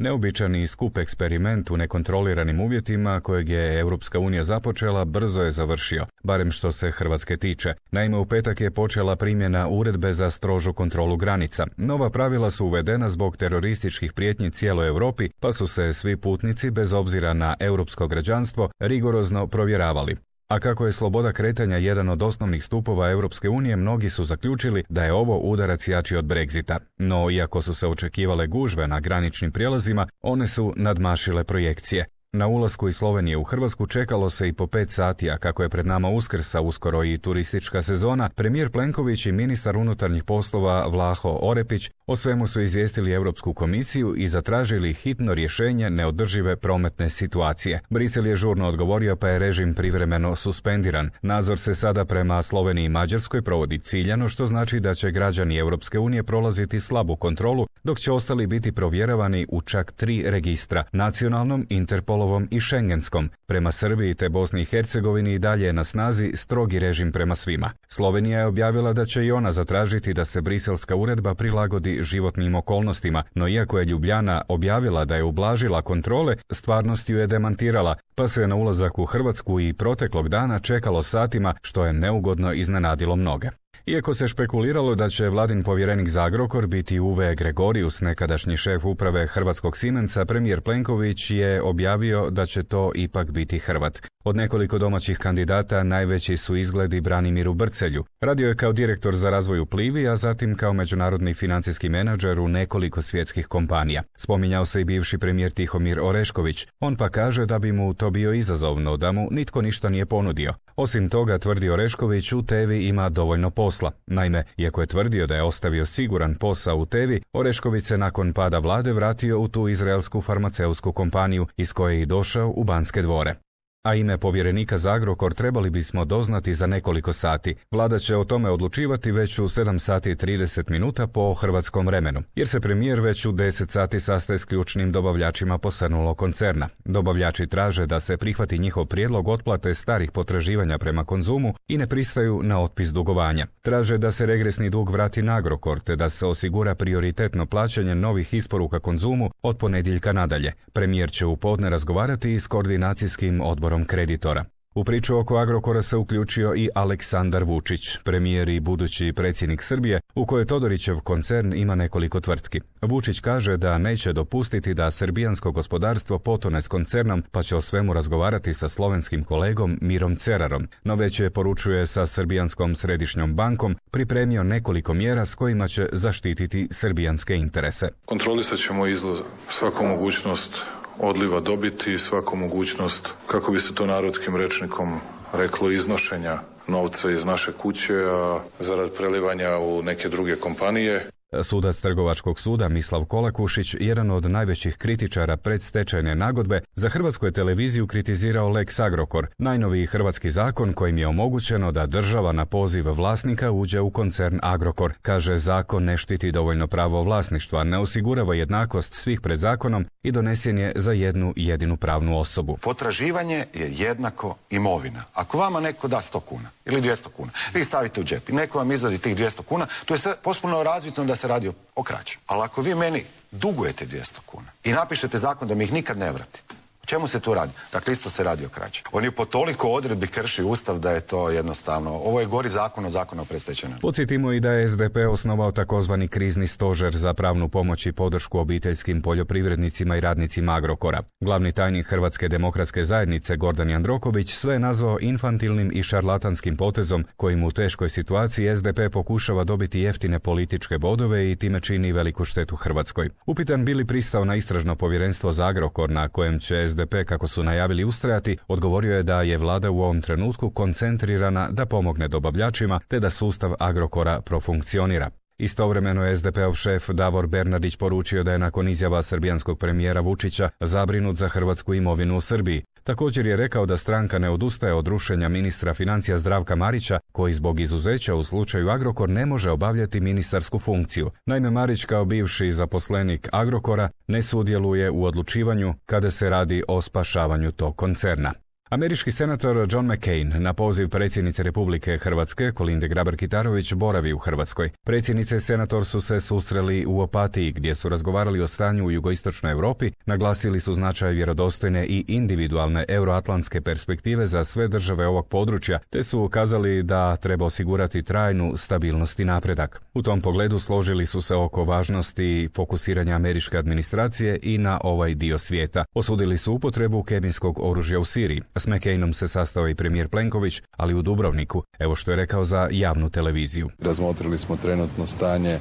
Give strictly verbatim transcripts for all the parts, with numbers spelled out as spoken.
Neobičan i skup eksperiment u nekontroliranim uvjetima kojeg je Europska unija započela brzo je završio, barem što se Hrvatske tiče. Naime, u petak je počela primjena uredbe za strožu kontrolu granica. Nova pravila su uvedena zbog terorističkih prijetnji cijeloj Europi, pa su se svi putnici, bez obzira na europsko građanstvo, rigorozno provjeravali. A kako je sloboda kretanja jedan od osnovnih stupova Europske unije, mnogi su zaključili da je ovo udarac jači od Brexita. No, iako su se očekivale gužve na graničnim prijelazima, one su nadmašile projekcije. Na ulasku iz Slovenije u Hrvatsku čekalo se i po pet sati, a kako je pred nama Uskrs, a uskoro i turistička sezona, premijer Plenković i ministar unutarnjih poslova Vlaho Orepić o svemu su izvijestili Europsku komisiju i zatražili hitno rješenje neodržive prometne situacije. Brisel je žurno odgovorio, pa je režim privremeno suspendiran. Nadzor se sada prema Sloveniji i Mađarskoj provodi ciljano, što znači da će građani Europske unije prolaziti slabu kontrolu, dok će ostali biti provjeravani u čak tri registra: nacionalnom, Interpolovom i Schengenskom. Prema Srbiji te Bosni i Hercegovini i dalje je na snazi strogi režim prema svima. Slovenija je objavila da će i ona zatražiti da se briselska uredba prilagodi životnim okolnostima, no iako je Ljubljana objavila da je ublažila kontrole, stvarnost ju je demantirala, pa se na ulazak u Hrvatsku i proteklog dana čekalo satima, što je neugodno iznenadilo mnoge. Iako se špekuliralo da će vladin povjerenik za Agrokor biti Uwe Gregorius, nekadašnji šef uprave hrvatskog Siemensa, premijer Plenković je objavio da će to ipak biti Hrvat. Od nekoliko domaćih kandidata najveći su izgledi Branimiru Brcelju. Radio je kao direktor za razvoj u Plivi, a zatim kao međunarodni financijski menadžer u nekoliko svjetskih kompanija. Spominjao se i bivši premijer Tihomir Orešković. On pa kaže da bi mu to bio izazovno, da mu nitko ništa nije ponudio. Osim toga, tvrdi Orešković, u Tevi ima dovoljno posla. Naime, iako je tvrdio da je ostavio siguran posao u Tevi, Orešković se nakon pada vlade vratio u tu izraelsku farmaceutsku kompaniju iz koje je i došao u Banske dvore. A ime povjerenika za Agrokor trebali bismo doznati za nekoliko sati. Vlada će o tome odlučivati već u sedam sati i trideset minuta po hrvatskom vremenu, jer se premijer već u deset sati sastaje s ključnim dobavljačima posrnulog koncerna. Dobavljači traže da se prihvati njihov prijedlog otplate starih potraživanja prema Konzumu i ne pristaju na otpis dugovanja. Traže da se regresni dug vrati na Agrokor, te da se osigura prioritetno plaćanje novih isporuka Konzumu od ponedjeljka nadalje. Premijer će u podne razgovarati i s koordinacijskim odborom kreditora. U priču oko Agrokora se uključio i Aleksandar Vučić, premijer i budući predsjednik Srbije, u kojoj Todorićev koncern ima nekoliko tvrtki. Vučić kaže da neće dopustiti da srbijansko gospodarstvo potone s koncernom, pa će o svemu razgovarati sa slovenskim kolegom Mirom Cerarom. No već je, poručuje, sa Srbijanskom središnjom bankom pripremio nekoliko mjera s kojima će zaštititi srbijanske interese. Kontrolisat ćemo izlaz, svaku mogućnost odliva dobiti i svaku mogućnost, kako bi se to narodskim rečnikom reklo, iznošenja novca iz naše kuće, a zarad prelivanja u neke druge kompanije. Sudac Trgovačkog suda Mislav Kolakušić, jedan od najvećih kritičara predstečajne nagodbe, za Hrvatsku je televiziju kritizirao Lex Agrokor, najnoviji hrvatski zakon kojim je omogućeno da država na poziv vlasnika uđe u koncern Agrokor. Kaže, zakon ne štiti dovoljno pravo vlasništva, ne osigurava jednakost svih pred zakonom i donesen je za jednu jedinu pravnu osobu. Potraživanje je jednako imovina. Ako vama neko da sto kuna ili dvjesto kuna, vi stavite u džep i neko vam izvadi tih dvjesto kuna, to je sve potpuno razvidno da se radi o krađi. Ali ako vi meni dugujete dvjesto kuna i napišete zakon da mi ih nikad ne vratite, o čemu se tu radi? Dakle, isto se radi o krađi. On je po toliko odredbi krši Ustav da je to jednostavno, ovo je gori zakon od zakona o predstečajnoj. Podsjetimo i da je S D P osnovao takozvani krizni stožer za pravnu pomoć i podršku obiteljskim poljoprivrednicima i radnicima Agrokora. Glavni tajnik Hrvatske demokratske zajednice Gordan Jandroković sve je nazvao infantilnim i šarlatanskim potezom kojim u teškoj situaciji S D P pokušava dobiti jeftine političke bodove i time čini veliku štetu Hrvatskoj. Upitan bi li pristao na istražno povjerenstvo za Agrokor na kojem će S D P, kako su najavili, ustrajati, odgovorio je da je vlada u ovom trenutku koncentrirana da pomogne dobavljačima te da sustav Agrokora profunkcionira. Istovremeno je S D P-ov šef Davor Bernardić poručio da je nakon izjava srbijanskog premijera Vučića zabrinut za hrvatsku imovinu u Srbiji. Također je rekao da stranka ne odustaje od rušenja ministra financija Zdravka Marića, koji zbog izuzeća u slučaju Agrokor ne može obavljati ministarsku funkciju. Naime, Marić kao bivši zaposlenik Agrokora ne sudjeluje u odlučivanju kada se radi o spašavanju tog koncerna. Američki senator John McCain na poziv predsjednice Republike Hrvatske Kolinde Grabar-Kitarović boravi u Hrvatskoj. Predsjednice i senator su se susreli u Opatiji gdje su razgovarali o stanju u jugoistočnoj Europi, naglasili su značaj vjerodostojne i individualne euroatlantske perspektive za sve države ovog područja, te su ukazali da treba osigurati trajnu stabilnost i napredak. U tom pogledu složili su se oko važnosti fokusiranja američke administracije i na ovaj dio svijeta. Osudili su upotrebu kemijskog oružja u Siriji. S McCainom se sastao i premijer Plenković, ali u Dubrovniku. Evo što je rekao za javnu televiziju. Razmotrili smo trenutno stanje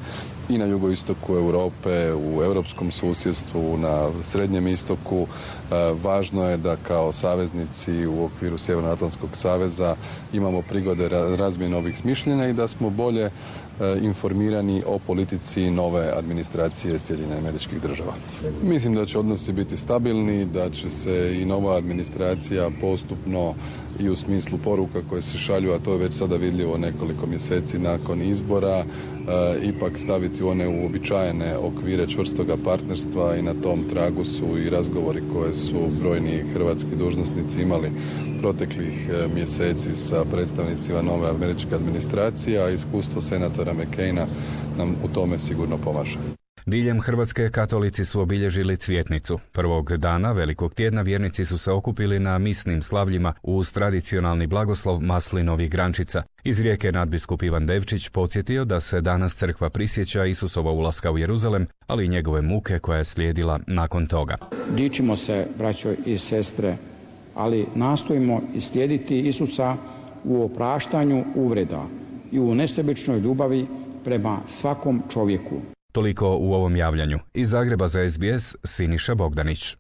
i na jugoistoku Europe, u europskom susjedstvu, na srednjem istoku. Važno je da kao saveznici u okviru Sjevernoatlantskog saveza imamo prigode razmjene ovih mišljenja i da smo bolje informirani o politici nove administracije Sjedinjenih Američkih Država. Mislim da će odnosi biti stabilni, da će se i nova administracija postupno i u smislu poruka koje se šalju, a to je već sada vidljivo nekoliko mjeseci nakon izbora, e, ipak staviti u one uobičajene okvire čvrstoga partnerstva i na tom tragu su i razgovori koje su brojni hrvatski dužnosnici imali proteklih mjeseci sa predstavnicima nove američke administracije, a iskustvo senatora McCaina nam u tome sigurno pomaže. Diljem Hrvatske katolici su obilježili Cvjetnicu. Prvog dana Velikog tjedna vjernici su se okupili na misnim slavljima uz tradicionalni blagoslov maslinovih grančica. Iz Rijeke nadbiskup Ivan Devčić podsjetio da se danas crkva prisjeća Isusova ulaska u Jeruzalem, ali i njegove muke koja je slijedila nakon toga. Dičimo se, braćo i sestre, ali nastojimo slijediti Isusa u opraštanju uvreda i u nesebičnoj ljubavi prema svakom čovjeku. Toliko u ovom javljanju. Iz Zagreba za S B S, Siniša Bogdanić.